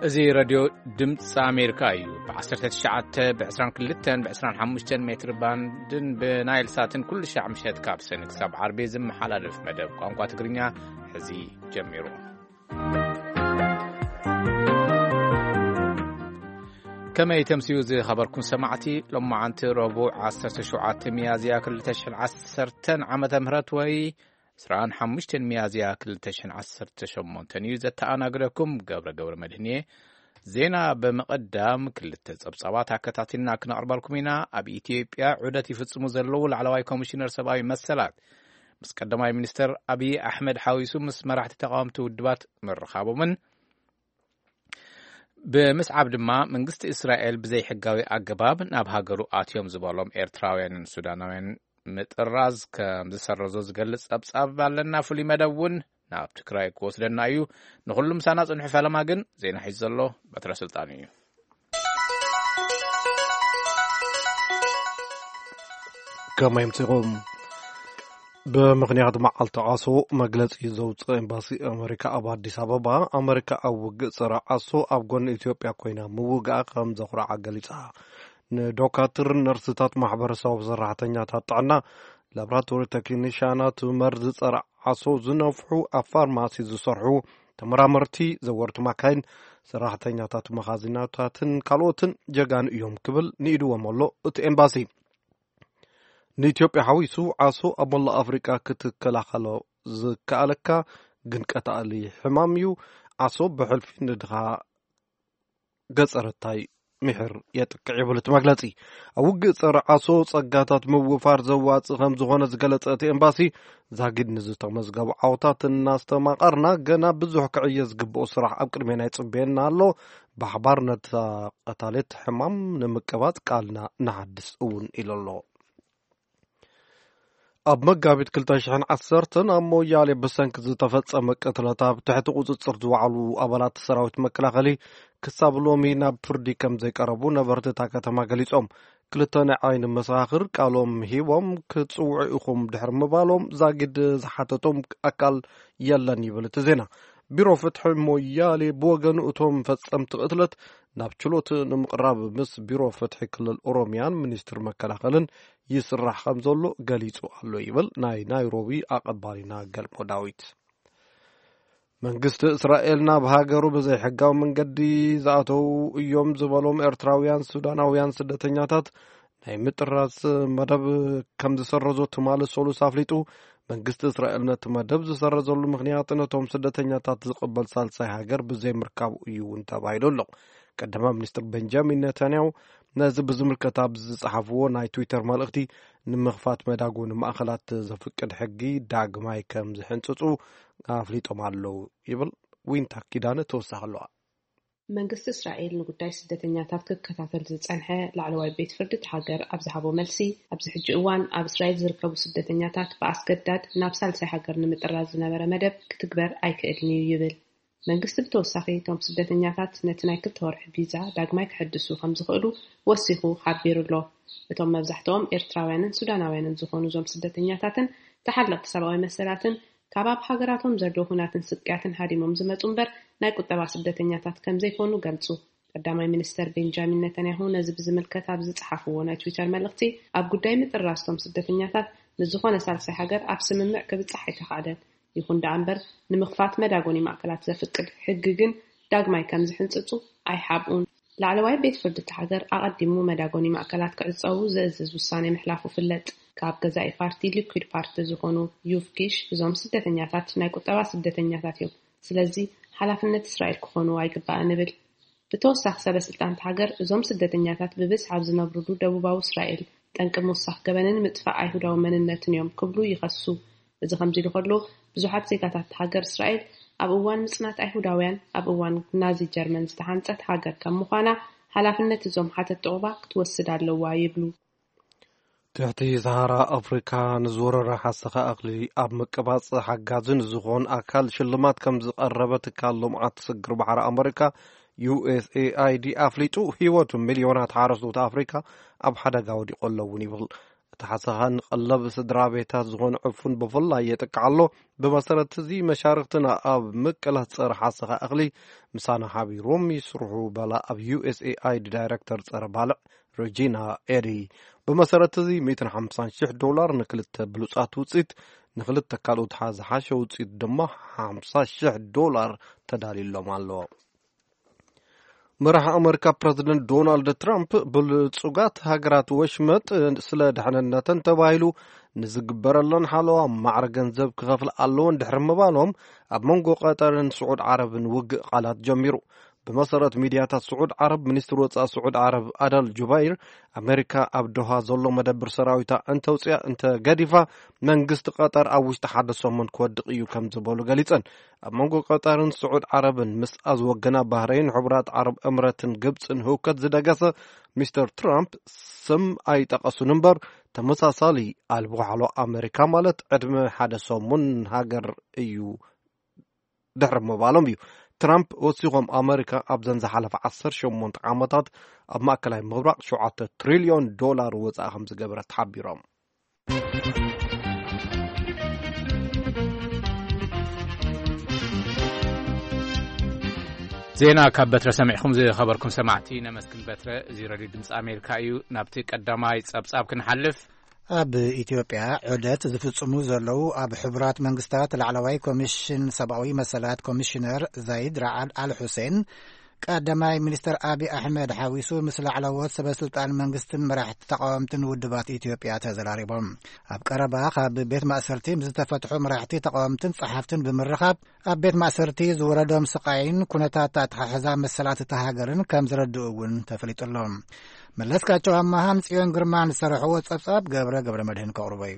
እዚ ሬድዮ ድምፂ ኣሜሪካ እዩ። ብ19፣ ብ22፣ ብ25 ሜትር ባንድን ብናይል ሳትን ኩሉ ሻዕ ምሸት ካብ ሰኒ ክሳብ ዓርቢ ዝመሓላለፍ መደብ ቋንቋ ትግርኛ ሕዚ ጀሚሩ። ከመይ ተምስዩ ዝኸበርኩም ሰማዕቲ፣ ሎማዓንቲ ረቡዕ 17 ሚያዝያ 2010 ዓመተ ምህረት ወይ 25 ሚያዝያ 2018 እዩ። ዘተኣናግደኩም ገብረ ገብረ መድህን እየ። ዜና ብምቕዳም ክልተ ጸብጻባት ኣከታቲልና ክነቕርበልኩም ኢና። ኣብ ኢትዮጵያ ዑደት ይፍጽሙ ዘለዉ ላዕለዋይ ኮሚሽነር ሰብኣዊ መሰላት ምስ ቀዳማይ ሚኒስተር ኣብይ ኣሕመድ ሓዊሱ ምስ መራሕቲ ተቃወምቲ ውድባት ምርኻቦምን ብምስዓብ ድማ መንግስቲ እስራኤል ብዘይሕጋዊ ኣገባብ ናብ ሃገሩ ኣትዮም ዝበሎም ኤርትራውያንን ሱዳናውያን ምጥራዝ ከም ዝሰረዞ ዝገልጽ ጸብጻብ ኣለና። ፍሉይ መደብ እውን ናብ ትግራይ ክወስደና እዩ። ንኹሉ ምሳና ጽንሑ። ፈለማ ግን ዜና ሒዙ ዘሎ በትረ ስልጣን እዩ። ከመይ ኣምሲኹም? ብምኽንያት መዓልቲ ዓሶ መግለጺ ዘውፅእ ኤምባሲ ኣመሪካ ኣብ ኣዲስ ኣበባ፣ ኣመሪካ ኣብ ውግእ ጸረ ዓሶ ኣብ ጎኒ ኢትዮጵያ ኮይና ምውግኣ ከም ዘኹርዓ ገሊጻ። ንዶካትር፣ ነርስታት፣ ማሕበረሰብ ሰራሕተኛታት ጥዕና፣ ላብራቶሪ ቴክኒሻናት፣ መርዚ ጸረ ዓሶ ዝነፍሑ፣ ኣብ ፋርማሲ ዝሰርሑ፣ ተመራመርቲ፣ ዘወርቲ ማካይን፣ ሰራሕተኛታት መኻዚናታትን ካልኦትን ጀጋኑ እዮም ክብል ንኢድዎም ኣሎ እቲ ኤምባሲ። ንኢትዮጵያ ሓዊሱ ዓሶ ኣብ መላእ ኣፍሪቃ ክትከላኸሎ ዝከኣለካ ግን ቀታሊ ሕማም እዩ። ዓሶ ብሕልፊ ንድኻ ገጸረታይ ምሕር የጥቅዕ ይብል እቲ መግለጺ። ኣብ ውግእ ጸረ ዓሶ ጸጋታት ምውፋር ዘዋጽእ ከም ዝኾነ ዝገለጸ እቲ ኤምባሲ፣ ዛጊድ ንዝተመዝገቡ ዓወታት እናስተማቐርና፣ ገና ብዙሕ ክዕየ ዝግብኦ ስራሕ ኣብ ቅድሜና ይጽበየና ኣሎ። ብሓባር ነታ ቀታሌት ሕማም ንምቅባጽ ቃልና ንሓድስ እውን ኢሉ ኣሎ። ኣብ መጋቢት 2010 ኣብ ሞያሌ ብሰንኪ ዝተፈጸመ ቅትለት ኣብ ትሕቲ ቁጽጽር ዝወዓሉ ኣባላት ሰራዊት መከላኸሊ ክሳብ ሎሚ ናብ ፍርዲ ከም ዘይቀረቡ ነበርቲ እታ ከተማ ገሊጾም። ክልተ ናይ ዓይኒ መሰኻኽር ቃሎም ሂቦም፣ "ክትጽውዑ ኢኹም" ድሕሪ ምባሎም ዛጊድ ዝሓተቶም ኣካል የለን ይብል እቲ ዜና። ቢሮ ፍትሒ ሞያሌ ብወገኑ፣ እቶም ፈጸምቲ ቅትለት ናብ ችሎት ንምቕራብ ምስ ቢሮ ፍትሒ ክልል ኦሮሚያን ሚኒስትሪ መከላኸልን ይስራሕ ከም ዘሎ ገሊጹ ኣሎ ይብል ናይ ናይሮቢ ኣቐባሊና ገልሞ ዳዊት። መንግስቲ እስራኤል ናብ ሃገሩ ብዘይሕጋዊ መንገዲ ዝኣተዉ እዮም ዝበሎም ኤርትራውያን ሱዳናውያን ስደተኛታት ናይ ምጥራዝ መደብ ከም ዝሰረዞ ትማሊ ሰሉስ ኣፍሊጡ። መንግስቲ እስራኤል ነቲ መደብ ዝሰረዘሉ ምኽንያት ነቶም ስደተኛታት ዝቕበል ሳልሳይ ሃገር ብዘይምርካቡ እዩ እውን ተባሂሉ ኣሎ። ቀዳማይ ሚኒስትር ቤንጃሚን ኔታንያሁ ነዚ ብዝምልከት ኣብ ዝጸሓፍዎ ናይ ትዊተር መልእኽቲ፣ ንምኽፋት መዳጎኒ ማእከላት ዘፍቅድ ሕጊ ዳግማይ ከም ዝሕንጽጹ ኣፍሊጦም ኣለዉ ይብል። ዊንታ ኪዳነ ተወሳኺ ኣለዋ። መንግስቲ እስራኤል ንጉዳይ ስደተኛታት ክከታተል ዝጸንሐ ላዕለዋይ ቤት ፍርዲ እቲ ሃገር ኣብ ዝሃቦ መልሲ፣ ኣብዚ ሕጂ እዋን ኣብ እስራኤል ዝርከቡ ስደተኛታት ብኣስገዳድ ናብ ሳልሳይ ሃገር ንምጥራዝ ዝነበረ መደብ ክትግበር ኣይክእልን እዩ ይብል። መንግስቲ ብተወሳኺ፣ እቶም ስደተኛታት ነቲ ናይ ክልተ ወርሒ ቪዛ ዳግማይ ክሕድሱ ከም ዝኽእሉ ወሲኹ ሓቢሩ ኣሎ። እቶም መብዛሕትኦም ኤርትራውያንን ሱዳናውያንን ዝኾኑ እዞም ስደተኛታትን ተሓለቕቲ ሰብኣዊ መሰላትን ካብ ኣብ ሃገራቶም ዘሎ ሁናትን ስቅያትን ሃዲሞም ዝመጹ እምበር ናይ ቁጠባ ስደተኛታት ከም ዘይኮኑ ገልጹ። ቀዳማይ ሚኒስተር ቤንጃሚን ነተንያሁ ነዚ ብዝምልከት ኣብ ዝጸሓፍዎ ናይ ትዊተር መልእኽቲ፣ ኣብ ጉዳይ ምጥራስቶም ስደተኛታት ንዝኾነ ሳልሳይ ሃገር ኣብ ስምምዕ ክብጻሕ ኣይተኻእለን። ይኹን ደኣ እምበር፣ ንምኽፋት መዳጎኒ ማእከላት ዘፍቅድ ሕጊ ግን ዳግማይ ከም ዝሕንጽጹ ኣይሓብኡን። ላዕለዋይ ቤት ፍርዲ እቲ ሃገር ኣቐዲሙ መዳጎኒ ማእከላት ክዕጸዉ ዝእዝዝ ውሳኔ ምሕላፉ ፍለጥ። ካብ ገዛኢ ፓርቲ ሊኩድ ፓርቲ ዝኾኑ ዩቭ ኪሽ፣ እዞም ስደተኛታት ናይ ቁጠባ ስደተኛታት እዮም፣ ስለዚ ሓላፍነት እስራኤል ክኾኑ ኣይግባእን እብል። ብተወሳኺ፣ ሰበ ስልጣን እቲ ሃገር እዞም ስደተኛታት ብብዝሒ ኣብ ዝነብሩሉ ደቡባዊ እስራኤል ጠንቂ ምውሳኽ ገበንን ምጥፋእ ኣይሁዳዊ መንነትን እዮም ክብሉ ይኸሱ። እዚ ከምዚ ኢሉ ከሎ፣ ብዙሓት ዜጋታት እቲ ሃገር እስራኤል ኣብ እዋን ምጽናት ኣይሁዳውያን፣ ኣብ እዋን ናዚ ጀርመን ዝተሃንጸት ሃገር ከም ምዃና፣ ሓላፍነት እዞም ሓተቲ ዑቕባ ክትወስድ ኣለዋ ይብሉ። ትሕቲ ሰሃራ ኣፍሪካ ንዝወረረ ሓሰኻ እኽሊ ኣብ ምቅባጽ ሓጋዚ ንዝኾን ኣካል ሽልማት ከም ዝቐረበ ትካል ልምዓት ስግር ባሕሪ ኣመሪካ፣ ዩ ኤስ ኤ ኣይ ዲ፣ ኣፍሊጡ። ህይወት ሚልዮናት ሓረስቶት ኣፍሪካ ኣብ ሓደጋ ወዲቑ ኣሎ እውን ይብል። እቲ ሓሰኻ ንቐለብ ስድራ ቤታት ዝኾነ ዕፉን ብፍላይ የጥቅዕ ኣሎ። ብመሰረት እዚ መሻርኽትና ኣብ ምቅላት ጸረ ሓሰኻ እኽሊ ምሳና ሓቢሮም ይስርሑ በላ ኣብ ዩ ኤስ ኤ ኣይ ዲ ዳይረክተር ጸረ ባልዕ ሮጂና ኤሪ። ብመሰረት እዚ ሚእትን ሓምሳን ሽሕ ዶላር ንክልተ ብሉጻት ውፅኢት፣ ንክልተ ካልኦት ዝሓሸ ውፅኢት ድማ ሓምሳ ሽሕ ዶላር ተዳልዩሎም ኣሎ። መራሒ ኣመሪካ ፕረዚደንት ዶናልድ ትራምፕ ብልጹጋት ሃገራት ወሽመጥ ስለ ድሕንነተን ተባሂሉ ንዝግበረለን ሓለዋ ማዕረ ገንዘብ ክኸፍል ኣለወን ድሕሪ ምባሎም፣ ኣብ መንጎ ቀጠርን ስዑድ ዓረብን ውግእ ቃላት ጀሚሩ። ብመሰረት ሚድያታት ስዑድ ዓረብ፣ ሚኒስትር ወጻኢ ስዑድ ዓረብ ኣዳል ጁባይር፣ ኣመሪካ ኣብ ዶሃ ዘሎ መደብር ሰራዊታ እንተውፅያ እንተገዲፋ፣ መንግስቲ ቀጠር ኣብ ውሽጢ ሓደ ሰሙን ክወድቕ እዩ ከም ዝበሉ ገሊጸን። ኣብ መንጎ ቀጠርን ስዑድ ዓረብን ምስኣ ዝወገና ባህረይን፣ ሕቡራት ዓረብ እምረትን ግብፅን ህውከት ዝደገሰ ሚስተር ትራምፕ፣ ስም ኣይጠቐሱን እምበር፣ ተመሳሳሊ ኣልቦ ሓሎ ኣመሪካ ማለት ዕድመ ሓደ ሰሙን ሃገር እዩ ድሕሪ ምባሎም እዩ። ትራምፕ ወሲኾም፣ ኣመሪካ ኣብዘን ዝሓለፈ ዓሰርተ ሸሞንተ ዓመታት ኣብ ማእከላይ ምብራቕ ሸውዓተ ትሪልዮን ዶላር ወጻኢ ከም ዝገበረት ሓቢሮም። ዜና ካብ በትረ ሰሚዕኹም ዝኸበርኩም ሰማዕቲ ነመስግን። በትረ፣ እዚ ረድዮ ድምፂ ኣሜሪካ እዩ። ናብቲ ቀዳማይ ጸብጻብ ክንሓልፍ። ኣብ ኢትዮጵያ ዑደት ዝፍጽሙ ዘለዉ ኣብ ሕቡራት መንግስታት ላዕለዋይ ኮሚሽን ሰብኣዊ መሰላት ኮሚሽነር ዛይድ ራዓድ ኣል ሑሴን፣ ቀዳማይ ሚኒስተር ኣቢ ኣሕመድ ሓዊሱ ምስ ላዕለዎት ሰበስልጣን መንግስትን መራሕቲ ተቃወምትን ውድባት ኢትዮጵያ ተዘራሪቦም። ኣብ ቀረባ ካብ ቤት ማእሰርቲ ምስ ዝተፈትሑ መራሕቲ ተቃወምትን ጸሓፍትን ብምርኻብ፣ ኣብ ቤት ማእሰርቲ ዝወረዶም ስቃይን ኩነታት ኣተሓሕዛ መሰላት እታ ሃገርን ከም ዝረድኡ እውን ተፈሊጡ ኣሎ። መለስካቸው ኣማሃን ጽዮን ግርማን ዝሰርሕዎ ጸብጻብ ገብረ ገብረ መድህን ከቕርቦ እዩ።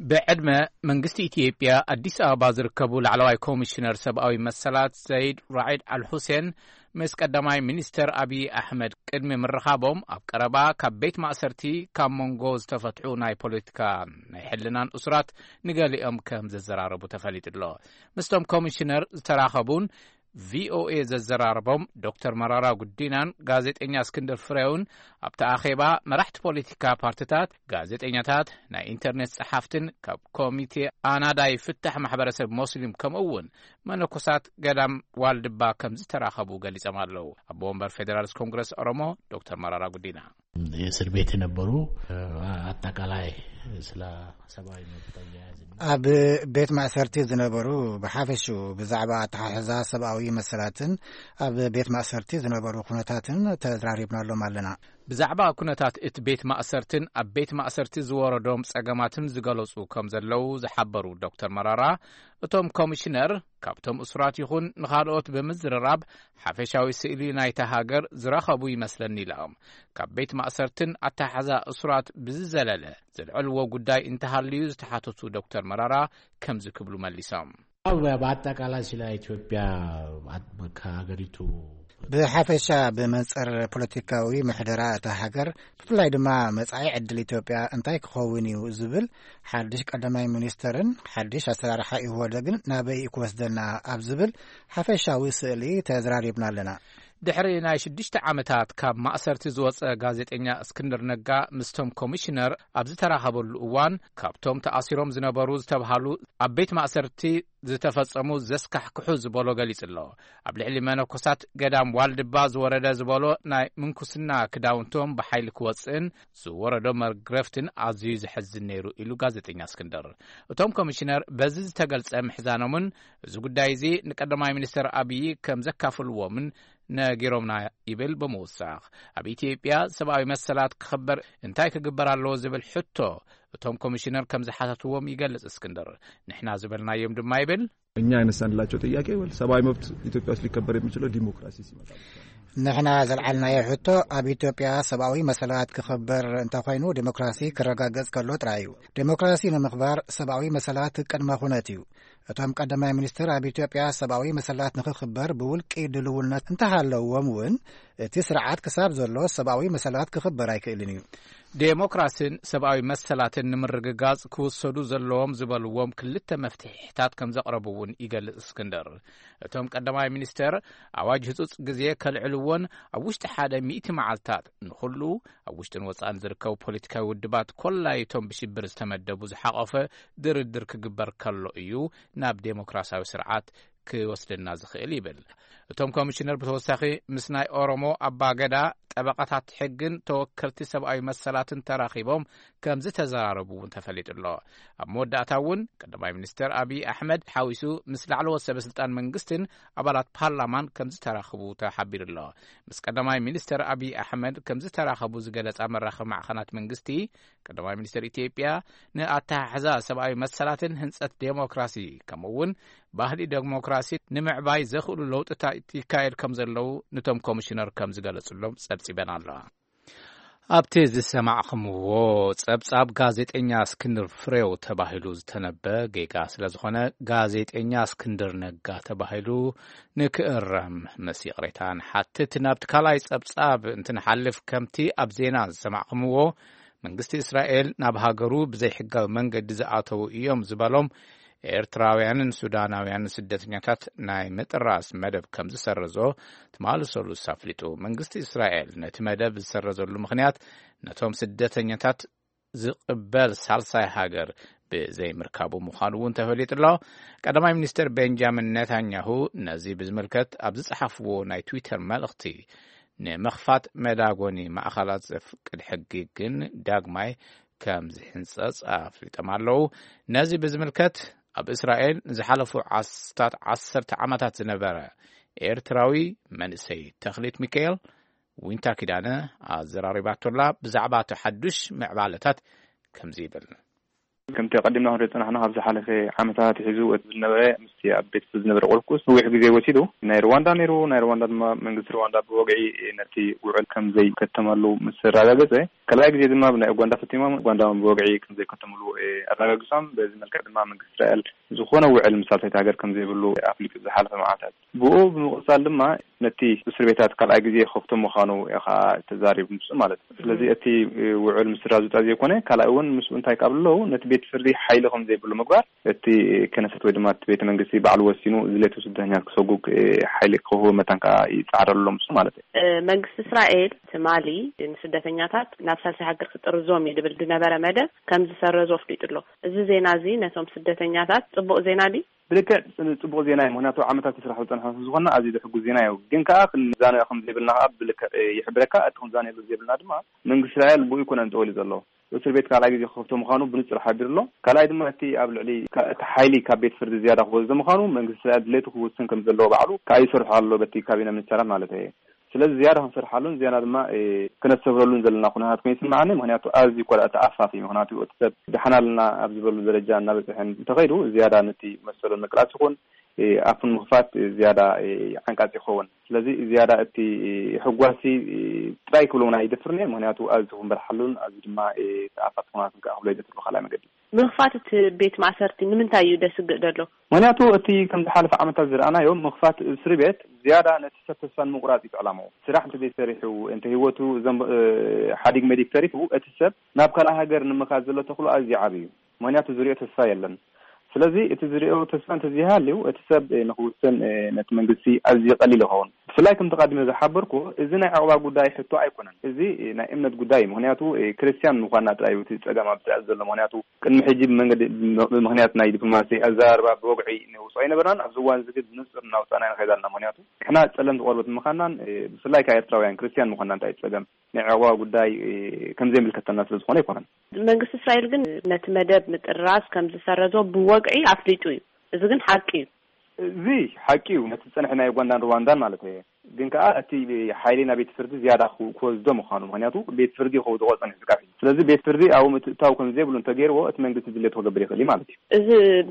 ብዕድመ መንግስቲ ኢትዮጵያ ኣዲስ ኣበባ ዝርከቡ ላዕለዋይ ኮሚሽነር ሰብኣዊ መሰላት ዘይድ ራዒድ ኣልሁሴን ምስ ቀዳማይ ሚኒስተር ኣብዪ ኣሕመድ ቅድሚ ምርኻቦም፣ ኣብ ቀረባ ካብ ቤት ማእሰርቲ ካብ መንጎ ዝተፈትሑ ናይ ፖለቲካ ናይ ሕልናን እሱራት ንገሊኦም ከም ዘዘራረቡ ተፈሊጡ ኣሎ። ምስቶም ኮሚሽነር ዝተራኸቡን ቪ ኦ ኤ ዘዘራረቦም ዶክተር መራራ ጉዲናን ጋዜጠኛ እስክንድር ፍሬውን፣ ኣብቲ ኣኼባ መራሕቲ ፖለቲካ ፓርቲታት፣ ጋዜጠኛታት፣ ናይ ኢንተርኔት ጸሓፍትን ካብ ኮሚቴ ኣናዳይ ፍታሕ ማሕበረሰብ ሞስሊም፣ ከምኡ እውን መነኮሳት ገዳም ዋልድባ ከም ዝተራኸቡ ገሊጾም ኣለዉ። ኣቦ ወንበር ፌዴራልስ ኮንግረስ ኦሮሞ ዶክተር መራራ ጉዲና። የእስር ቤት የነበሩ፣ ኣጠቃላይ ስለ ሰብኣዊ መብት ኣያያዝ ኣብ ቤት ማእሰርቲ ዝነበሩ ብሓፈሽኡ ብዛዕባ ኣተሓሕዛ ሰብኣዊ መሰላትን ኣብ ቤት ማእሰርቲ ዝነበሩ ኩነታትን ተዘራሪብናሎም ኣለና። ብዛዕባ ኩነታት እቲ ቤት ማእሰርትን ኣብ ቤት ማእሰርቲ ዝወረዶም ጸገማትን ዝገለጹ ከም ዘለዉ ዝሓበሩ ዶክተር መራራ፣ እቶም ኮሚሽነር ካብቶም እሱራት ይኹን ንኻልኦት ብምዝርራብ ሓፈሻዊ ስእሊ ናይታ ሃገር ዝረኸቡ ይመስለኒ ኢሎም። ካብ ቤት ማእሰርትን ኣተሓሕዛ እሱራት ብዝዘለለ ዘልዐልዎ ጉዳይ እንተሃልዩ ዝተሓተቱ ዶክተር መራራ ከምዚ ክብሉ መሊሶም። ኣብ፣ ብኣጠቃላይ ስለ ኢትዮጵያ ከሀገሪቱ ብሓፈሻ ብመንጽር ፖለቲካዊ ምሕደራ እታ ሃገር፣ ብፍላይ ድማ መጻኢ ዕድል ኢትዮጵያ እንታይ ክኸውን እዩ ዝብል ሓድሽ ቀዳማይ ሚኒስተርን ሓድሽ ኣሰራርሓ ኢህወደግን ናበይ ክወስደና ኣብ ዝብል ሓፈሻዊ ስእሊ ተዘራሪብና ኣለና። ድሕሪ ናይ ሽዱሽተ ዓመታት ካብ ማእሰርቲ ዝወጸ ጋዜጠኛ እስክንድር ነጋ ምስቶም ኮሚሽነር ኣብ ዝተራኸበሉ እዋን፣ ካብቶም ተኣሲሮም ዝነበሩ ዝተብሃሉ ኣብ ቤት ማእሰርቲ ዝተፈጸሙ ዘስካሕክሑ ዝበሎ ገሊጹ ኣሎ። ኣብ ልዕሊ መነኮሳት ገዳም ዋልድባ ዝወረደ ዝበሎ ናይ ምንኩስና ክዳውንቶም ብሓይሊ ክወጽእን ዝወረዶ መግረፍትን ኣዝዩ ዘሕዝን ነይሩ ኢሉ ጋዜጠኛ እስክንድር። እቶም ኮሚሽነር በዚ ዝተገልጸ ምሕዛኖምን እዚ ጉዳይ እዚ ንቀዳማይ ሚኒስተር ኣብዪ ከም ዘካፍልዎምን ነጊሮምና ይብል ብምውሳኽ፣ ኣብ ኢትዮጵያ ሰብኣዊ መሰላት ክኽበር እንታይ ክግበር ኣለዎ ዝብል ሕቶ እቶም ኮሚሽነር ከም ዝሓተትዎም ይገልጽ እስክንድር። ንሕና ዝበልናዮም ድማ ይብል። እኛ ያነሳንላቸው ጥያቄ ወል ሰብአዊ መብት ኢትዮጵያ ውስጥ ሊከበር የሚችለው ዲሞክራሲ ሲመጣ ብቻ ነው። ንሕና ዘልዓልናዮ ሕቶ ኣብ ኢትዮጵያ ሰብኣዊ መሰላት ክኽበር እንተኾይኑ ዲሞክራሲ ክረጋገጽ ከሎ ጥራይ እዩ። ዲሞክራሲ ንምኽባር ሰብኣዊ መሰላት ቅድመ ኩነት እዩ። እቶም ቀዳማይ ሚኒስትር ኣብ ኢትዮጵያ ሰብኣዊ መሰላት ንኽኽበር ብውልቂ ድልውነት እንተሃለዎም እውን እቲ ስርዓት ክሳብ ዘሎ ሰብኣዊ መሰላት ክኽበር ኣይክእልን እዩ። ዴሞክራሲን ሰብኣዊ መሰላትን ንምርግጋጽ ክውሰዱ ዘለዎም ዝበልዎም ክልተ መፍትሒታት ከም ዘቕረቡ እውን ይገልጽ እስክንድር። እቶም ቀዳማይ ሚኒስተር፣ ኣዋጅ ህጹጽ ግዜ ከልዕልዎን ኣብ ውሽጢ ሓደ ሚእቲ መዓልታት ንኹሉ ኣብ ውሽጥን ወጻእን ዝርከቡ ፖለቲካዊ ውድባት፣ ኮላይቶም ብሽብር ዝተመደቡ ዝሓቖፈ ድርድር ክግበር ከሎ እዩ ናብ ዴሞክራሲያዊ ስርዓት ክወስደና ዝኽእል ይብል። እቶም ኮሚሽነር ብተወሳኺ ምስ ናይ ኦሮሞ ኣባገዳ፣ ጠበቓታት ሕግን ተወከልቲ ሰብኣዊ መሰላትን ተራኺቦም ከም ዝተዘራረቡ እውን ተፈሊጡ ኣሎ። ኣብ መወዳእታ እውን ቀዳማይ ሚኒስተር ኣብይ ኣሕመድ ሓዊሱ ምስ ላዕለዎት ሰበ ስልጣን መንግስትን ኣባላት ፓርላማን ከም ዝተራኽቡ ተሓቢሩ ኣሎ። ምስ ቀዳማይ ሚኒስተር ኣብይ ኣሕመድ ከም ዝተራኸቡ ዝገለጻ መራኸቢ ማዕኸናት መንግስቲ፣ ቀዳማይ ሚኒስተር ኢትዮጵያ ንኣተሓሕዛ ሰብኣዊ መሰላትን ህንጸት ዴሞክራሲ፣ ከምኡ እውን ባህሊ ዴሞክራሲ ንምዕባይ ዘኽእሉ ለውጥታት ይካየድ ከም ዘለዉ ንቶም ኮሚሽነር ከም ዝገለጹሎም ጸብጺበን ኣለዋ። ኣብቲ ዝሰማዕኹምዎ ጸብጻብ፣ ጋዜጠኛ እስክንድር ፍሬው ተባሂሉ ዝተነበ ጌጋ ስለ ዝኾነ፣ ጋዜጠኛ እስክንድር ነጋ ተባሂሉ ንክእረም ምስ ይቕሬታ ንሓትት። ናብቲ ካልኣይ ጸብጻብ እንትንሓልፍ፣ ከምቲ ኣብ ዜና ዝሰማዕኹምዎ፣ መንግስቲ እስራኤል ናብ ሃገሩ ብዘይሕጋዊ መንገዲ ዝኣተዉ እዮም ዝበሎም ኤርትራውያንን ሱዳናውያንን ስደተኛታት ናይ ምጥራስ መደብ ከም ዝሰረዞ ትማሊ ሰሉስ ኣፍሊጡ። መንግስቲ እስራኤል ነቲ መደብ ዝሰረዘሉ ምኽንያት፣ ነቶም ስደተኛታት ዝቕበል ሳልሳይ ሃገር ብዘይምርካቡ ምዃኑ እውን ተፈሊጡ ኣሎ። ቀዳማይ ሚኒስትር ቤንጃሚን ኔታንያሁ ነዚ ብዝምልከት ኣብ ዝጸሓፍዎ ናይ ትዊተር መልእኽቲ፣ ንምኽፋት መዳጎኒ ማእኸላት ዘፍቅድ ሕጊ ግን ዳግማይ ከም ዝሕንጸጽ ኣፍሊጦም ኣለዉ። ነዚ ብዝምልከት፣ ኣብ እስራኤል ንዝሓለፉ ዓስታት ዓሰርተ ዓመታት ዝነበረ ኤርትራዊ መንእሰይ ተኽሊት ሚካኤል፣ ዊንታ ኪዳነ ኣዘራሪባቶ ኣላ። ብዛዕባ እቲ ሓዱሽ ምዕባለታት ከምዚ ይብል። ከምቲ ኣቐዲምና ክንሪኦ ዝጸናሕና፣ ካብ ዝሓለፈ ዓመታት ኣትሒዙ እቲ ዝነበረ፣ ምስቲ ኣብ ቤት ፍርዲ ዝነበረ ቆልቁስ ነዊሕ ግዜ ወሲዱ። ናይ ሩዋንዳ ነይሩ። ናይ ሩዋንዳ ድማ፣ መንግስቲ ሩዋንዳ ብወግዒ ነቲ ውዕል ከም ዘይከተመሉ ምስ ኣረጋገጸ፣ ካልኣይ ግዜ ድማ ብናይ ኡጋንዳ ፈቲሞም፣ ኡጋንዳ እውን ብወግዒ ከም ዘይከተምሉ፣ እ፣ ኣረጋጊጾም። በዚ መልክዕ ድማ መንግስቲ እስራኤል ዝኾነ ውዕል ምስ ሳልሰይቲ ሃገር ከም ዘይብሉ ኣፍሊጡ ዝሓለፈ መዓልታት። ብኡ ብምቕጻል ድማ ነቲ እስር ቤታት ካልኣይ ግዜ ክኸፍቶ ምዃኑ እዩ ኸኣ ተዛሪቡ ንሱ ማለት እዩ። ስለዚ እቲ፣ እ፣ ውዕል ምስራዙ ጥራይ ዘይኮነ፣ ካልኣይ እውን ምስኡ እንታይ ካብ ኣለዉ ነቲ ቤት ፍርዲ ሓይሊ ከም ዘይብሉ ምግባር፣ እቲ ክነሰት ወይ ድማ እቲ ቤተ መንግስቲ ባዕሉ ወሲኑ ዝድለቱ ስደተኛታት ክሰጉግ፣ እ፣ ሓይሊ ክህቡ መታን ከኣ ይጻዕረሉ ኣሎ ንሱ ማለት እዩ። እ፣ መንግስቲ እስራኤል ትማሊ ንስደተኛታት ናብ ሳልሳይ ሃገር ክጥርዞም እዩ ዝብል ዝነበረ መደብ ከም ዝሰረዞ ኣፍሊጡ ኣሎ። እዚ ዜና እዚ ነቶም ስደተኛታት ጽቡቕ ዜና ድዩ? ብልክዕ ጽ-፣ ጽቡቕ ዜና እዩ። ምኽንያቱ ዓመታት ይስራሕ ዝጸንሐ ዝኾንና ኣዝዩ ዘሕጉስ ዜና እዩ። ግን ከኣ ክንዛነዮ ከም ዘይብልና ከኣ ብልክዕ ይሕብረካ። እቲ ክንዛነየሉ ዘይብልና ድማ መንግስቲ እስራኤል ብኡ ኣይኮነን ጠወሊ ዘሎ። እስር ቤት ካልኣይ ግዜ ክኸፍቶ ምዃኑ ብንጹር ሓቢሩ ኣሎ። ካልኣይ ድማ እቲ ኣብ ልዕሊ ካ-፣ እቲ ሓይሊ ካብ ቤት ፍርዲ ዝያዳ ክወስዶ ምዃኑ መንግስቲ እስራኤል ድሌቱ ክውስን ከም ዘለዎ ባዕሉ ከኣ ይሰርሖ ኣሎ በቲ ካቢነ ሚኒስተራት ማለት እየ። ስለዚ ዝያዳ ክንሰርሓሉን ዝያዳ ድማ፣ እ፣ ክነስተብህለሉን ዘለና ኩነታት ኮይኑ ይስምዓኒ። ምኽንያቱ ኣዝዩ እኳ ደኣ ተኣፋፊ፣ ምኽንያቱ እቲ ሰብ ደሓን ኣለና ኣብ ዝበሉ ደረጃ እናበጽሐ እንተኸይዱ ዝያዳ ነቲ መሰሉ ንምቅላስ ይኹን፣ እ፣ ኣፉ ንምኽፋት ዝያዳ፣ እ፣ ዓንቃጺ ይኸውን። ስለዚ ዝያዳ እቲ፣ እ፣ ሕጓሲ፣ እ፣ ጥራይ ክብሎ እውን ኣይደፍርን እየ። ምኽንያቱ ኣዝዩ ክንበርሓሉን ኣዝዩ ድማ፣ እ፣ ተኣፋፊ ኩነታት ከኣ ክብሎ ኣይደፍርን ብኻልኣይ መገዲ። ምኽፋት እቲ ቤት ማእሰርቲ ንምንታይ እዩ ደስግእ ዘሎ? ምኽንያቱ እቲ ከም ዝሓለፈ ዓመታት ዝረኣናዮ ምኽፋት እስሪ ቤት ዝያዳ ነቲ ሰብ ተስፋ ንምቑራጽ እዩ ዕላምኡ። ስራሕ እንተ ዘይሰሪሑ፣ እንተ ህይወቱ ዘንብ-፣ እ፣ ሓዲግ መዲግ ተሪፉ፣ እቲ ሰብ ናብ ካልእ ሃገር ንምኻድ ዘሎ ተኽእሎ ኣዝዩ ዓቢ እዩ። ምኽንያቱ ዝሪኦ ተስፋ የለን። ስለዚ እቲ ዝሪኦ ተስፋ እንተዘይሃልዩ፣ እቲ ሰብ፣ እ፣ ንኽውስን፣ እ፣ ነቲ መንግስቲ ኣዝዩ ቀሊል ይኸውን። ብፍላይ ከምቲ ቀዲመ ዝሓበርኩ፣ እዚ ናይ ዕቑባ ጉዳይ ሕቶ ኣይኮነን። እዚ፣ እ፣ ናይ እምነት ጉዳይ እዩ። ምኽንያቱ፣ እ፣ ክርስትያን ምዃንና ጥራይ እዩ እቲ ጸገም ኣብዚ ዘሎ። ምኽንያቱ ቅድሚ ሕጂ ብመንገዲ፣ ብምኽንያት ናይ ዲፕሎማሲ ኣዘራርባ ብወግዒ ነውጽኦ ኣይነበርናን። ኣብዚ እዋን እዚ ግን ብንጹር እናውጻእና ንኸይድ ኣለና። ምኽንያቱ ንሕና ጸለምቲ ቆርበት ምዃንናን፣ እ፣ ብፍላይ ከኣ ኤርትራውያን ክርስትያን ምዃንና እንታይ ጸገም ናይ ዕቑባ ጉዳይ፣ እ፣ ከም ዘይምልከተና ስለ ዝኾነ ኣይኮነን። መንግስቲ እስራኤል ግን ነቲ መደብ ምጥራዝ ከም ዝሰረዞ ብወግዒ ኣፍሊጡ እዩ። እዚ ግን ሓቂ እዩ። እዚ ሓቂ እዩ፣ ነቲ ዝጸንሐ ናይ ኡጋንዳን ሩዋንዳን ማለት እየ። ግን ከኣ እቲ ሓይሊ ናብ ቤት ፍርዲ ዝያዳ ክው-፣ ክወስዶ ምዃኑ፣ ምኽንያቱ ቤት ፍርዲ ክውድቖ ጸኒሑ ዝቃፊ። ስለዚ ቤት ፍርዲ ኣብኡ ምትእትታው ከም ዘይብሉ እንተገይርዎ፣ እቲ መንግስቲ ድሌቱ ክገብር ይኽእል እዩ ማለት እዩ። እዚ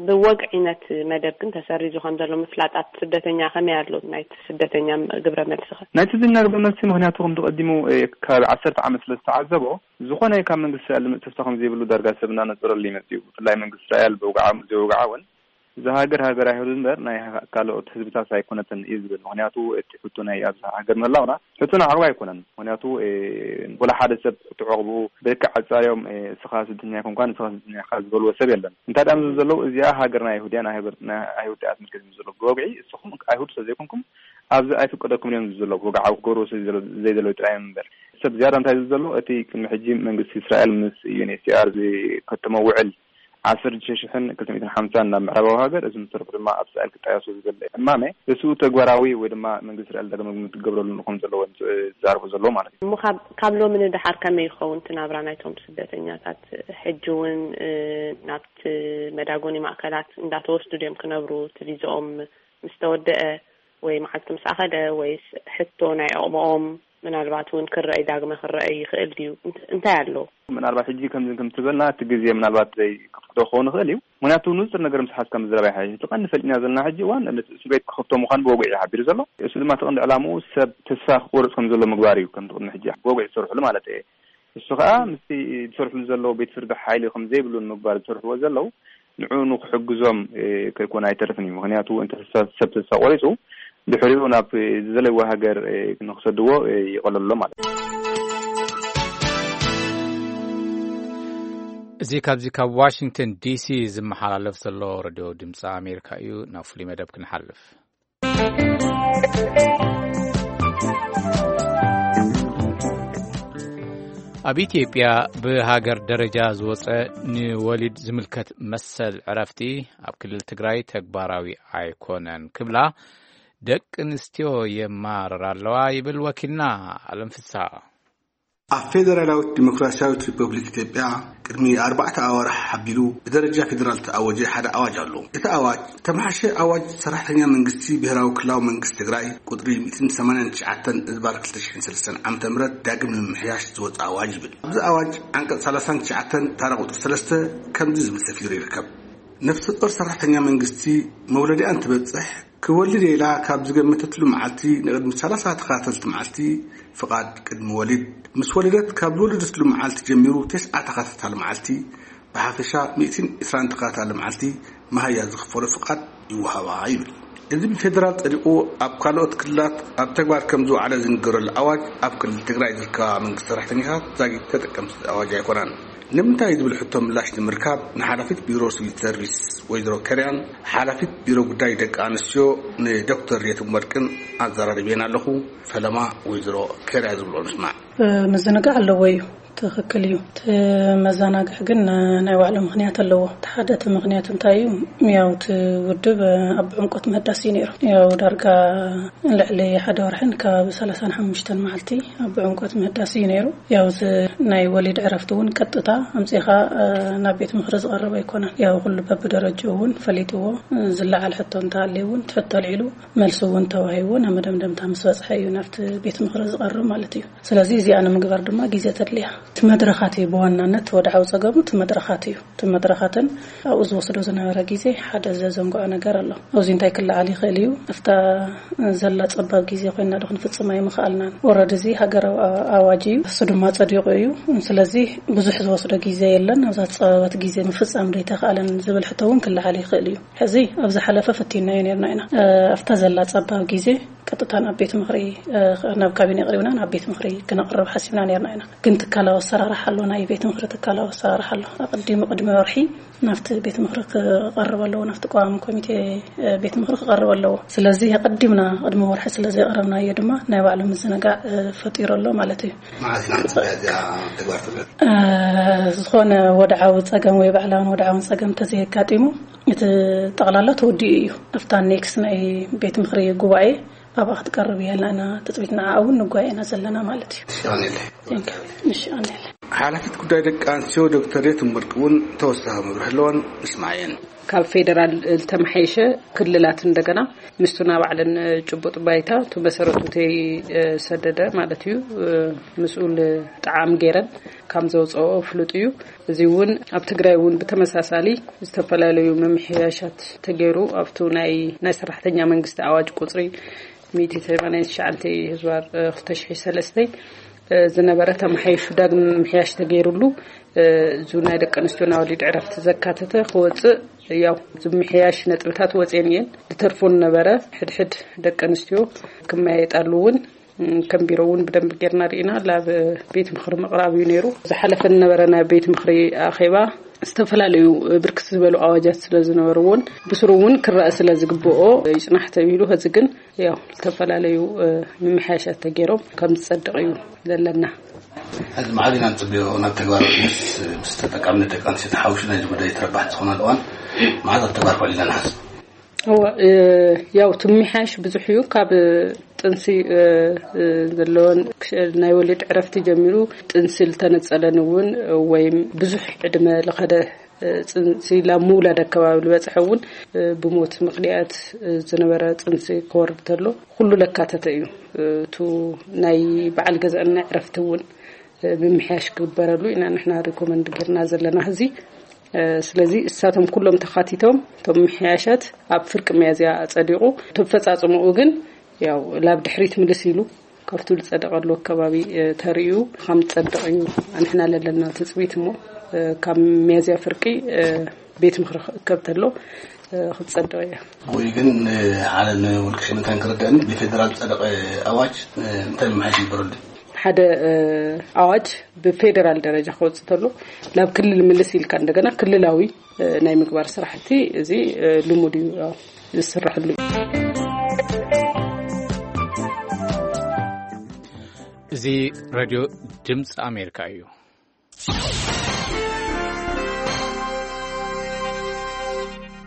ብወግዒ ነቲ መደብ ግን ተሰሪዙ ከም ዘሎ ምፍላጥ ኣብ ስደተኛ ከመይ ኣሎ ናይቲ ስደተኛ ግብረ መልሲ ኸ? ናይቲ ስደተኛ ግብረ መልሲ፣ ምኽንያቱ ከምቲ ቀዲሙ፣ እ፣ ከባቢ ዓሰርተ ዓመት ስለ ዝተዓዘቦ፣ ዝኾነ ካብ መንግስቲ እስራኤል ዝመጽእ ተስፋ ከም ዘይብሉ ዳርጋ ሰብ እናነጸረሉ ይመጽእ እዩ። ብፍላይ መንግስቲ እስራኤል ብውግዓ ዘይውግዓ እውን እዛ ሃገር ሃገር ኣይሁድ እምበር ናይ ካልኦት ህዝብታት ኣይኮነትን እዩ ዝብል። ምክንያቱ እቲ ሕቶ ናይ ኣብዛ ሃገር ምህላውና ሕቶ ንዓቕባ ኣይኮነን። ምክንያቱ ወላ ሓደ ሰብ እቲ ዕቕቡ ብልክዕ ኣጻርዮም እስኻ ስደተኛ ኣይኮንኳን፣ እስኻ ስደተኛ ኢኻ ዝበልዎ ሰብ የለን። እንታይ ደኣ ዝብል ዘለዉ እዚኣ ሃገር ናይ ኣይሁድ እያ፣ ናይ ሃገር ናይ ኣይሁድ እያ ኣስመልኪት ዝብል ዘለዉ ብወግዒ እስኹም ኣይሁድ ስለ ዘይኮንኩም ኣብዚ ኣይፍቀደኩም እዮም ዝብል ዘለዉ ብወግዓዊ ክገብርዎ ስለ ዘይደለዉ ጥራይ እዮም እምበር። ሰብ ዝያዳ እንታይ ዝብል ዘሎ እቲ ቅድሚ ሕጂ መንግስቲ እስራኤል ምስ ዩ ኤን ኤች ሲ ኣር ዝከተሞ ውዕል ዓሰርተ ሽሕን ክልተ ሚእትን ሓምሳን ናብ ምዕራባዊ ሃገር፣ እዚ ምትርፉ ድማ ኣብ እስራኤል ክጣየሱ ዝብል እማመ፣ እሱ ተግባራዊ ወይ ድማ መንግስቲ እስራኤል ዳግመ ግምት ክገብረሉ ከም ዘለዎ ዝዛረቡ ዘለዉ ማለት እዩ። እሞ ካብ ካብ ሎሚ ንደሓር ከመይ ይኸውን እቲ ናብራ ናይቶም ስደተኛታት? ሕጂ እውን ናብቲ መዳጎኒ ማእከላት እንዳተወስዱ ድዮም ክነብሩ? እቲ ቪዝኦም ምስ ተወደአ ወይ መዓልቲ ምስ ኣኸደ ወይስ ሕቶ ናይ ዕቕብኦም ምናልባት እውን ክረኣይ ዳግመ ክረኣይ ይኽእል ድዩ? እንታይ ኣሎ? ምናልባት ሕጂ ከምዚ ከም ትበልና እቲ ግዜ ምናልባት ዘይክፍቅዶ ክኸውን ይኽእል እዩ። ምክንያቱ ንፁር ነገር ምስ ሓዝካ ምዝራብ ይሓይሽ። እቲ ቀንዲ ፈሊጥና ዘለና ሕጂ እዋን ነቲ እስር ቤት ክኸፍቶ ምዃኑ ብወግዒ እዩ ሓቢሩ ዘሎ። እሱ ድማ እቲ ቀንዲ ዕላምኡ ሰብ ተስፋ ክቆርፅ ከም ዘሎ ምግባር እዩ። ከምቲ ቅድሚ ሕጂ ብወግዒ ዝሰርሕሉ ማለት እየ። እሱ ከዓ ምስቲ ዝሰርሕሉ ዘለዉ ቤት ፍርዲ ሓይሊ ከም ዘይብሉ ንምግባር ዝሰርሕዎ ዘለዉ ንዕኡ ንክሕግዞም ከይኮነ ኣይተርፍን እዩ። ምክንያቱ እንተ ሰብ ተስፋ ቆሪፁ ድሕሪኡ ናብ ዝደለይዎ ሃገር ንክሰድዎ ይቐለሎ ማለት እዩ። እዚ ካብዚ ካብ ዋሽንግተን ዲሲ ዝመሓላለፍ ዘሎ ረድዮ ድምፂ ኣሜሪካ እዩ። ናብ ፍሉይ መደብ ክንሓልፍ። ኣብ ኢትዮጵያ ብሃገር ደረጃ ዝወፀ ንወሊድ ዝምልከት መሰል ዕረፍቲ ኣብ ክልል ትግራይ ተግባራዊ ኣይኮነን ክብላ ደቂ ኣንስትዮ የማርራ ኣለዋ ይብል ወኪልና ኣለም ፍስሃ። ኣብ ፌደራላዊት ዲሞክራሲያዊት ሪፐብሊክ ኢትዮጵያ ቅድሚ ኣርባዕተ ኣዋርሕ ሓቢሉ ብደረጃ ፌደራል ተኣወጀ ሓደ ኣዋጅ ኣሎ። እቲ ኣዋጅ ተመሓሸ ኣዋጅ ሰራሕተኛ መንግስቲ ብሄራዊ ክልላዊ መንግስቲ ትግራይ ቁፅሪ ሚእትን ሰማንያን ትሽዓተን እዝባር ክልተ ሽሕን ሰለስተን ዓመተ ምህረት ዳግም ንምምሕያሽ ዝወፀ ኣዋጅ ይብል። ኣብዚ ኣዋጅ ዓንቀፅ ሰላሳን ትሽዓተን ታራ ቁፅሪ ሰለስተ ከምዚ ዝብል ሰፊሩ ይርከብ። ነፍሰ ጦር ሰራሕተኛ መንግስቲ መውለዲኣ እንትበፅሕ ክወልድ ኢላ ካብ ዝገመተትሉ መዓልቲ ንቕድሚ ሰላሳ ተኸታተልቲ መዓልቲ ፍቓድ ቅድሚ ወሊድ፣ ምስ ወለደት ካብ ዝወለደትሉ መዓልቲ ጀሚሩ ተስዓ ተኸታታሊ መዓልቲ፣ ብሓፈሻ ሚእትን ዕስራን ተኸታታሊ መዓልቲ መሃያ ዝኽፈሎ ፍቓድ ይወሃባ ይብል። እዚ ብፌደራል ጸዲቑ ኣብ ካልኦት ክልላት ኣብ ተግባር ከም ዝወዓለ ዝንገረሉ ኣዋጅ ኣብ ክልል ትግራይ ዝርከባ መንግስቲ ሰራሕተኛታት ዛጊት ተጠቀምቲ ኣዋጅ ኣይኮናን። ንምንታይ ዝብል ሕቶ ምላሽ ንምርካብ ንሓላፊት ቢሮ ሲቪል ሰርቪስ ወይዘሮ ከርያን ሓላፊት ቢሮ ጉዳይ ደቂ ኣንስትዮ ንዶክተር ሬትም ወርቅን ኣዘራሪበን ኣለኹ። ፈለማ ወይዘሮ ከርያ ዝብልኦ ንስማዕ። ምዝንጋዕ ኣለዎ እዩ፣ ትኽክል እዩ። እቲ መዘናግዕ ግን ናይ ባዕሉ ምኽንያት ኣለዎ። እቲ ሓደ እቲ ምኽንያት እንታይ እዩ? ያው እቲ ውድብ ኣብ ዕምቆት ምህዳስ እዩ ነይሩ። ያው ዳርጋ ልዕሊ ሓደ ወርሕን ከባቢ ሰላሳን ሓሙሽተን መዓልቲ ኣብ ዕምቆት ምህዳስ እዩ ነይሩ። ያው እዚ ናይ ወሊድ ዕረፍቲ እውን ቀጥታ ኣምፂኻ ናብ ቤት ምኽሪ ዝቐርብ ኣይኮነን። ያው ኩሉ በብደረጃኡ እውን ፈሊጥዎ፣ ዝለዓል ሕቶ እንተሃልዩ እውን እቲ ሕቶ ኣልዒሉ መልሲ እውን ተዋሂቡ ናብ መደምደምታ ምስ በፅሐ እዩ ናብቲ ቤት ምኽሪ ዝቐርብ ማለት እዩ። ስለዚ እዚኣ ንምግባር ድማ ግዜ ተድልያ። እቲ መድረኻት እዩ ብዋናነት ወድዓዊ ፀገሙ እቲ መድረኻት እዩ። እቲ መድረኻትን ኣብኡ ዝወስዶ ዝነበረ ግዜ ሓደ ዘዘንግዖ ነገር ኣሎ። ኣብዚ እንታይ ክለዓል ይኽእል እዩ? ኣብታ ዘላ ጸባብ ግዜ ኮይና ዶ ክንፍጽማ ኣይምኽኣልናን? ወረድ እዚ ሃገራዊ ኣዋጅ እዩ፣ እሱ ድማ ጸዲቑ እዩ። ስለዚ ብዙሕ ዝወስዶ ግዜ የለን፣ ኣብዛ ዝጸበበት ግዜ ምፍጻም ዶ ኣይተኽኣለን ዝብል ሕቶ እውን ክለዓል ይኽእል እዩ። ሕዚ ኣብ ዝሓለፈ ፈቲናዮ ነርና ኢና። ኣብታ ዘላ ጸባብ ግዜ ቀጥታ ናብ ቤት ምኽሪ ናብ ካቢነ ኣቕሪብና ናብ ቤት ምኽሪ ክነቕርብ ሓሲብና ነርና ኢና። ግን ትካላዊ ኣሰራርሓ ኣሎ፣ ናይ ቤት ምኽሪ ትካላዊ ኣሰራርሓ ኣሎ። ኣቐዲሙ ቅድሚ ወርሒ ናብቲ ቤት ምኽሪ ክቐርብ ኣለዎ፣ ናብቲ ቀዋሚ ኮሚቴ ቤት ምኽሪ ክቐርብ ኣለዎ። ስለዚ ኣቐዲምና ቅድሚ ወርሒ ስለ ዘቕረብናዮ ድማ ናይ ባዕሉ ምዝንጋዕ ፈጢሩ ኣሎ ማለት እዩ። ዝኾነ ወድዓዊ ፀገም ወይ ባዕላውን ወድዓውን ፀገም ተዘየጋጢሙ እቲ ጠቕላላ ተወዲኡ እዩ። ኣብታ ኔክስ ናይ ቤት ምኽሪ ጉባኤ ኣብኣ ክትቀርብ እያ ኢልና ኢና ትፅቢት፣ ንዓ እውን ንጓየ ኢና ዘለና ማለት እዩ። ንሽ ኣኔለ። ሓላፊት ጉዳይ ደቂ ኣንስትዮ ዶክተር የትም ወርቂ እውን ተወሳኺ መብርሒ ኣለወን። ንስማየን። ካብ ፌደራል ዝተመሓየሸ ክልላት እንደገና ምስቱ ናብ ባዕለን ጭቡጥ ባይታ እቲ መሰረቱ ተይሰደደ ማለት እዩ ምስኡል ጣዕም ገይረን ከም ዘውፅኦ ፍሉጥ እዩ። እዚ እውን ኣብ ትግራይ እውን ብተመሳሳሊ ዝተፈላለዩ ምምሕያሻት ተገይሩ ኣብቱ ናይ ናይ ሰራሕተኛ መንግስቲ ኣዋጅ ቁፅሪ ሚእቲ ሰማንያን ትሽዓተ ህዝባር ክልተ ሽሕን ሰለስተን ዝነበረ ተመሓይሹ ዳግም ምሕያሽ ተገይሩሉ፣ እዙ ናይ ደቂ ኣንስትዮን ኣዋልድ ዕረፍቲ ዘካተተ ክወፅእ፣ ያው ዝምሕያሽ ነጥብታት ወፅየን እየን። ዝተርፎ ዝነበረ ሕድሕድ ደቂ ኣንስትዮ ክመያየጣሉ እውን ከም ቢሮ እውን ብደንብ ጌርና ርኢና ናብ ቤት ምኽሪ ምቕራብ እዩ ነይሩ። ዝሓለፈ ዝነበረ ናይ ቤት ምኽሪ ኣኼባ ዝተፈላለዩ ብርክት ዝበሉ ኣዋጃት ስለ ዝነበርዎን ብስሩ እውን ክረአ ስለ ዝግብኦ ይጽናሕ ተቢሉ፣ ሕዚ ግን ያው ዝተፈላለዩ ምምሕያሻት ተገይሮም ከም ዝጸድቕ እዩ ዘለና። ሕዚ መዓዝ ኢና ንጽበዮ ናብ ተግባር? ምስ ምስ ተጠቃምነት ደቂ ኣንስትዮ ተሓዊሱ ናይዚ ጉዳይ ተረባሕቲ ዝኾናሉ እዋን መዓዝ ኣብ ተግባር ክውዕል ኢና ንሓስብ? እወ፣ ያው እቲ ምምሕያሽ ብዙሕ እዩ። ካብ ጥንሲ ዘለዎን ናይ ወሊድ ዕረፍቲ ጀሚሩ ጥንሲ ዝተነጸለን እውን ወይም ብዙሕ ዕድመ ለኸደ ጽንሲ ላብ ምውላድ ኣከባቢ ዝበጽሐ እውን ብሞት ምኽንያት ዝነበረ ጽንሲ ክወርድ ተሎ ኩሉ ለካተተ እዩ። እቱ ናይ በዓል ገዛእና ዕረፍቲ እውን ምምሕያሽ ክግበረሉ ኢና ንሕና ሪኮመንድ ጌርና ዘለና። እዚ ስለዚ እሳቶም ኩሎም ተኻቲቶም እቶም ምሕያሻት ኣብ ፍርቂ ሚያዝያ ኣጸዲቑ፣ እቲ ኣፈጻጽምኡ ግን ያው ላብ ድሕሪት ምልስ ኢሉ ካብቱ ዝጸደቐሉ ኣከባቢ ተርእዩ ከም ዝጸድቕ እዩ። ንሕና ለለና ትጽቢት እሞ ካብ ሚያዝያ ፍርቂ ቤት ምኽሪ ክእከብ ተሎ ክትጸድቕ እያ። ወይ ግን ሓደ ንውልቀ ሽምንታን ክርደእኒ ብፌደራል ዝጸደቐ ኣዋጅ እንታይ ምምሕያሽ ይግበረሉ? ሓደ ኣዋጅ ብፌደራል ደረጃ ክወጽእ ተሎ ናብ ክልል ምልስ ኢልካ እንደገና ክልላዊ ናይ ምግባር ስራሕቲ እዚ ልሙድ እዩ፣ ዝስራሕሉ እዩ። እዚ ሬድዮ ድምፂ ኣሜሪካ እዩ።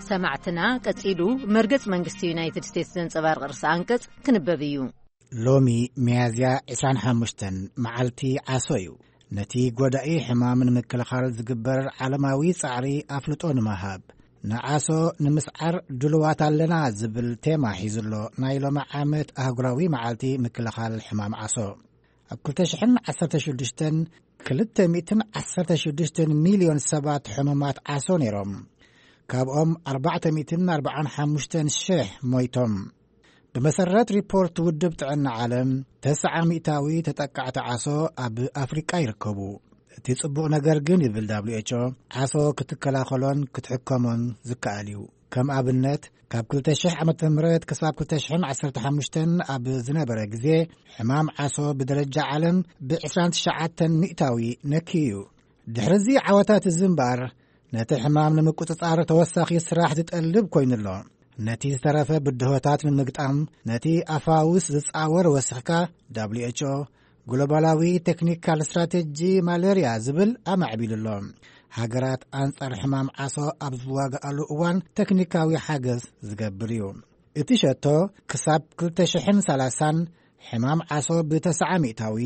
ሰማዕትና፣ ቀጺሉ መርገጽ መንግስቲ ዩናይትድ ስቴትስ ዘንጸባርቕ ርእሰ ኣንቀጽ ክንበብ እዩ። ሎሚ ሚያዝያ ዕስራን ሓሙሽተን መዓልቲ ዓሶ እዩ። ነቲ ጎዳኢ ሕማም ንምክልኻል ዝግበር ዓለማዊ ጻዕሪ ኣፍልጦ ንምሃብ፣ ንዓሶ ንምስዓር ድሉዋት ኣለና ዝብል ቴማ ሒዙ ኣሎ ናይ ሎሚ ዓመት ኣህጉራዊ መዓልቲ ምክልኻል ሕማም ዓሶ። ኣብ ክልተ ሽሕን ዓሰርተ ሽዱሽተን ክልተ ሚእትን ዓሰርተ ሽዱሽተን ሚልዮን ሰባት ሕሙማት ዓሶ ነይሮም። ካብኦም ኣርባዕተ ሚእትን ኣርባዓን ሓሙሽተን ሽሕ ሞይቶም። ብመሰረት ሪፖርት ውድብ ጥዕና ዓለም፣ ተስዓ ሚእታዊ ተጠቃዕቲ ዓሶ ኣብ ኣፍሪቃ ይርከቡ። እቲ ጽቡቕ ነገር ግን፣ ይብል ዳብሊው ኤች ኦ፣ ዓሶ ክትከላኸሎን ክትሕከሞን ዝከኣል እዩ። ከም ኣብነት፣ ካብ ክልተ ሽሕ ዓመተ ምህረት ክሳብ ክልተ ሽሕን ዓሰርተ ሓሙሽተን ኣብ ዝነበረ ግዜ፣ ሕማም ዓሶ ብደረጃ ዓለም ብዕስራን ትሽዓተን ሚእታዊ ነክዩ እዩ። ድሕሪ እዚ ዓወታት እዚ እምበኣር፣ ነቲ ሕማም ንምቁጽጻር ተወሳኺ ስራሕ ዝጠልብ ኮይኑ ኣሎ። ነቲ ዝተረፈ ብድሆታት ንምግጣም፣ ነቲ ኣፋውስ ዝጻወር ወሲኽካ፣ ዳብሊው ኤች ኦ ግሎባላዊ ቴክኒካል ስትራቴጂ ማለርያ ዝብል ኣማዕቢሉ ኣሎ። ሃገራት ኣንጻር ሕማም ዓሶ ኣብ ዝዋግኣሉ እዋን ቴክኒካዊ ሓገዝ ዝገብር እዩ። እቲ ሸቶ ክሳብ ክልተ ሽሕን ሰላሳን ሕማም ዓሶ ብተስዓ ሚእታዊ፣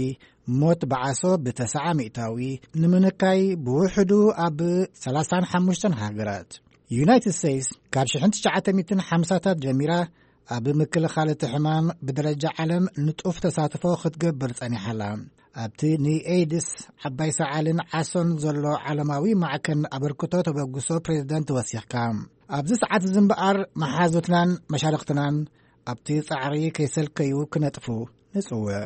ሞት ብዓሶ ብተስዓ ሚእታዊ ንምንካይ ብውሕዱ ኣብ ሰላሳን ሓሙሽተን ሃገራት። ዩናይትድ ስቴትስ ካብ ሽሕን ትሽዓተ ሚእትን ሓምሳታት ጀሚራ ኣብ ምክልኻል እቲ ሕማም ብደረጃ ዓለም ንጡፍ ተሳትፎ ክትገብር ጸኒሓ ኣላ። ኣብቲ ንኤድስ፣ ዓባይ ሰዓልን ዓሶን ዘሎ ዓለማዊ ማዕከን ኣበርክቶ ተበግሶ ፕሬዚደንት ወሲኽካ። ኣብዚ ሰዓት እዚ እምበኣር መሓዙትናን መሻርኽትናን ኣብቲ ጻዕሪ ከይሰልከዩ ክነጥፉ ንጽውዕ።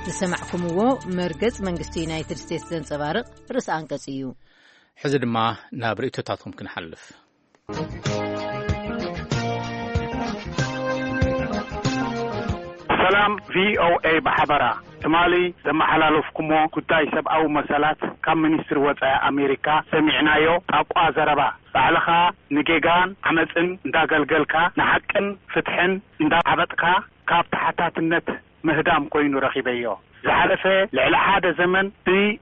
ዝሰማዕኩምዎ መርገጽ መንግስቲ ዩናይትድ ስቴትስ ዘንጸባርቕ ርእሰ ኣንቀጽ እዩ። ሕዚ ድማ ናብ ርእይቶታትኩም ክንሓልፍ። ሰላም ቪ ኦ ኤ ብሓበራ፣ ትማሊ ዘመሓላለፍኩሞ ጉዳይ ሰብኣዊ መሰላት ካብ ሚኒስትሪ ወጻኢ ኣሜሪካ ሰሚዕናዮ ጣቋ ዘረባ፣ ባዕልኻ ንጌጋን ዓመጽን እንዳገልገልካ ንሓቅን ፍትሕን እንዳዓበጥካ ካብ ተሓታትነት ምህዳም ኮይኑ ረኺበዮ። ዝሓለፈ ልዕሊ ሓደ ዘመን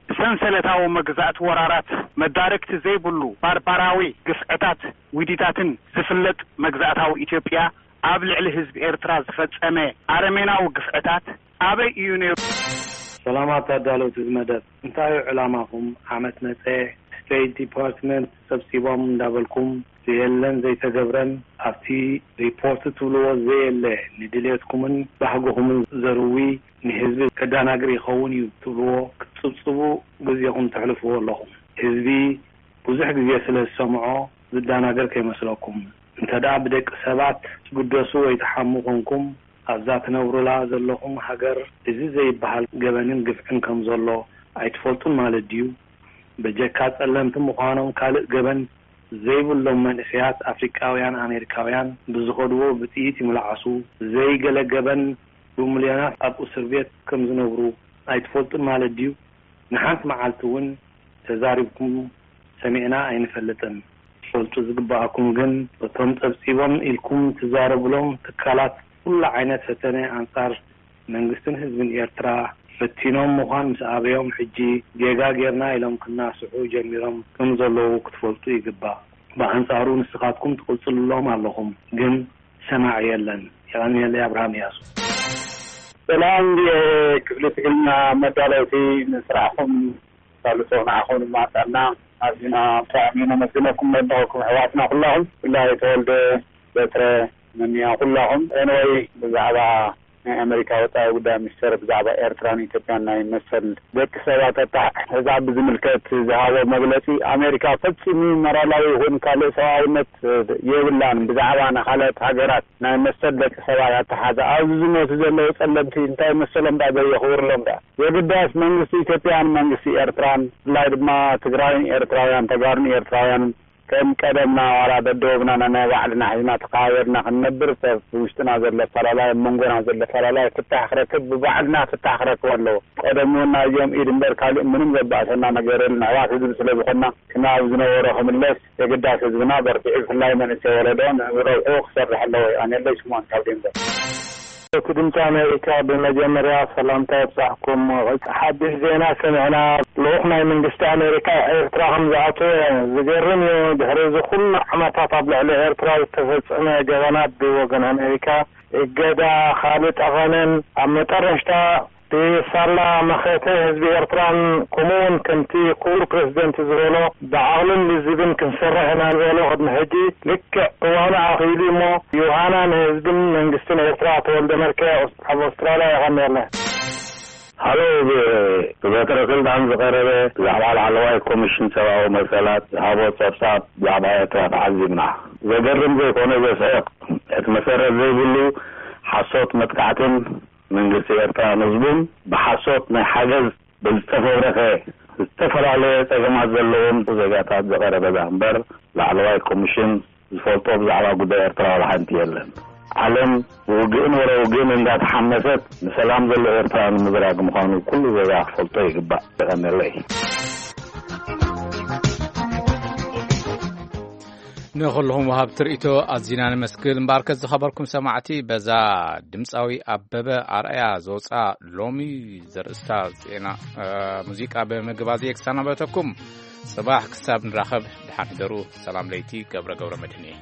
ብሰንሰለታዊ መግዛእቲ ወራራት መዳርግቲ ዘይብሉ ባርባራዊ ግፍዕታት ዊዲታትን ዝፍለጥ መግዛእታዊ ኢትዮጵያ ኣብ ልዕሊ ህዝቢ ኤርትራ ዝፈጸመ ኣረሜናዊ ግፍዕታት ኣበይ እዩ ነይሩ? ሰላማት ኣዳለውቲ እዚ መደብ፣ እንታይ እዩ ዕላማኹም? ዓመት መጸ፣ ስቴት ዲፓርትመንት ሰብሲቦም እንዳበልኩም ዘየለን ዘይተገብረን ኣብቲ ሪፖርት ትብልዎ ዘየለ ንድሌትኩምን ባህግኹምን ዘርዊ ንህዝቢ ከዳናግር ይኸውን እዩ ትብልዎ ክትጽብጽቡ ግዜኹም ተሕልፍዎ ኣለኹም። ህዝቢ ብዙሕ ግዜ ስለ ዝሰምዖ ዝዳናገር ከይመስለኩም። እንተ ደኣ ብደቂ ሰባት ትግደሱ ወይ ትሓሙ ኮንኩም፣ ኣብዛ ትነብሩላ ዘለኹም ሃገር እዚ ዘይበሃል ገበንን ግፍዕን ከም ዘሎ ኣይትፈልጡን ማለት ድዩ? በጀካ ጸለምቲ ምዃኖም ካልእ ገበን ዘይብሎም መንእሰያት ኣፍሪቃውያን ኣሜሪካውያን ብዝኸድዎ ብጥይት ይምልዓሱ፣ ዘይገለ ገበን ብሚልዮናት ኣብ እስር ቤት ከም ዝነብሩ ኣይትፈልጡን ማለት ድዩ? ንሓንቲ መዓልቲ እውን ተዛሪብኩም ሰሚዕና ኣይንፈልጥን። ትፈልጡ ዝግበኣኩም ግን እቶም ጸብጺቦም ኢልኩም ትዛረብሎም ትካላት ኩሉ ዓይነት ፈተነ ኣንጻር መንግስትን ህዝብን ኤርትራ ፈቲኖም ምዃን ምስ ኣበዮም ሕጂ ጌጋ ጌርና ኢሎም ክናስሑ ጀሚሮም ከም ዘለዉ ክትፈልጡ ይግባእ። ብኣንጻሩ ንስኻትኩም ትቕጽልሎም ኣለኹም፣ ግን ሰማዒ የለን። የቐንየለይ። ኣብርሃም እያሱ። ሰላም ክፍሊ ትግርኛ መዳለውቲ፣ ንስራሕኩም ሳልሶ ንዓኹም ድማ ጥዕና። ኣዚና ብጣዕሚ ነመስግነኩም መድረኹም ኣሕዋትና ኩላኹም፣ ብፍላይ ተወልደ በትረ፣ መኒያ ኩላኹም። ኤንወይ ብዛዕባ ናይ ኣሜሪካ ወጻኢ ጉዳይ ሚኒስተር ብዛዕባ ኤርትራን ኢትዮጵያን ናይ መሰል ደቂ ሰባት ኣተሓሕዛ ብዝምልከት ዝሃቦ መግለጺ፣ ኣሜሪካ ፈጺሙ ሞራላዊ ይኹን ካልእ ሰብኣውነት የብላን። ብዛዕባ ንኻልኦት ሃገራት ናይ መሰል ደቂ ሰባት ኣተሓዛ ኣብዚ ዝሞቱ ዘለዉ ጸለምቲ እንታይ መሰሎም ደኣ ዘየኽብርሎም ደኣ? የግዳስ መንግስቲ ኢትዮጵያን መንግስቲ ኤርትራን ብፍላይ ድማ ትግራይን ኤርትራውያን ተጋሩን ኤርትራውያንን ከም ቀደምና ዋላ ደደወብና ናይ ባዕልና ሒዝና ተኸባቢርና ክንነብር ሰብ ውሽጥና ዘሎ ኣፈላላይ ኣብ መንጎና ዘሎ ኣፈላላይ ፍታሕ ክረክብ ብባዕልና ፍታሕ ክረክብ ኣለዎ። ቀደም እውን ናይዚኦም ኢድ እምበር ካልእ ምንም ዘባእሰና ነገር የለን። ኣሕዋት ህዝቢ ስለ ዝኾንና ክና ኣብ ዝነበሮ ክምለስ የግዳስ ህዝብና በርቲዑ ብፍላይ መንእሰይ ወለዶ ንረብሑ ክሰርሕ ኣለዎ። ኣነለይ ስምዖን ካብ ዴንቨር። እቲ ድምፂ ኣሜሪካ ብመጀመርያ ሰላምታ የብፃሕኩም። ሓድሽ ዜና ሰሚዕና ልኡኽ ናይ መንግስቲ ኣሜሪካ ኤርትራ ከም ዝኣተወ ዝገርም እዩ። ድሕሪ እዚ ኩሉ ዓመታት ኣብ ልዕሊ ኤርትራ ዝተፈጸመ ገበናት ብወገን ኣሜሪካ እገዳ፣ ካልእ ጠቐነን ኣብ መጠረሽታ ብሳላ መኸተ ህዝቢ ኤርትራን ከምኡውን ከምቲ ክቡር ፕረዚደንት ዝበሎ ብዓቕልን ልዝብን ክንሰርሕ ኢና ዝበሎ ቅድሚ ሕጂ ልክዕ እዋኑ ኣኺሉ እሞ ዮሃና ንህዝብን መንግስትን ኤርትራ። ተወልደ መልከ ኣብ ኣውስትራልያ የቐንየልና። ሃሎ፣ ብ-፣ ብበትረ ስልጣን ዝቐረበ ብዛዕባ ላዕለዋይ ኮሚሽን ሰብኣዊ መሰላት ዝሃቦ ጸብጻብ ብዛዕባ ኤርትራ ተዓዚብና። ዘገርም ዘይኮነ ዘስሕቕ፣ እቲ መሰረት ዘይብሉ ሓሶት መጥቃዕትን መንግስቲ ኤርትራን ህዝቡን ብሓሶት ናይ ሓገዝ ብዝተፈብረኸ ዝተፈላለየ ጸገማት ዘለዎም ዜጋታት ዝቐረበ ደኣ እምበር ላዕለዋይ ኮሚሽን ዝፈልጦ ብዛዕባ ጉዳይ ኤርትራ ዋላ ሓንቲ የለን። ዓለም ብውግእን ወረ ውግእን እንዳተሓመሰት ንሰላም ዘሎ ኤርትራ ንምዝራግ ምዃኑ ኩሉ ዜጋ ክፈልጦ ይግባእ። የቐንየለይ። ንኹልኹም ወሃብቲ ርእይቶ ኣዚና ነመስግን። እምበኣርከስ ዝኸበርኩም ሰማዕቲ፣ በዛ ድምፃዊ ኣበበ ኣርኣያ ዝወፅኣ ሎሚ ዘርእስታ ዜና፣ እ፣ ሙዚቃ ብምግባዝ እየ ክሰናበተኩም። ጽባሕ ክሳብ ንራኸብ ደሓን ሕደሩ። ሰላም ለይቲ። ገብረ ገብረ መድህን እየ።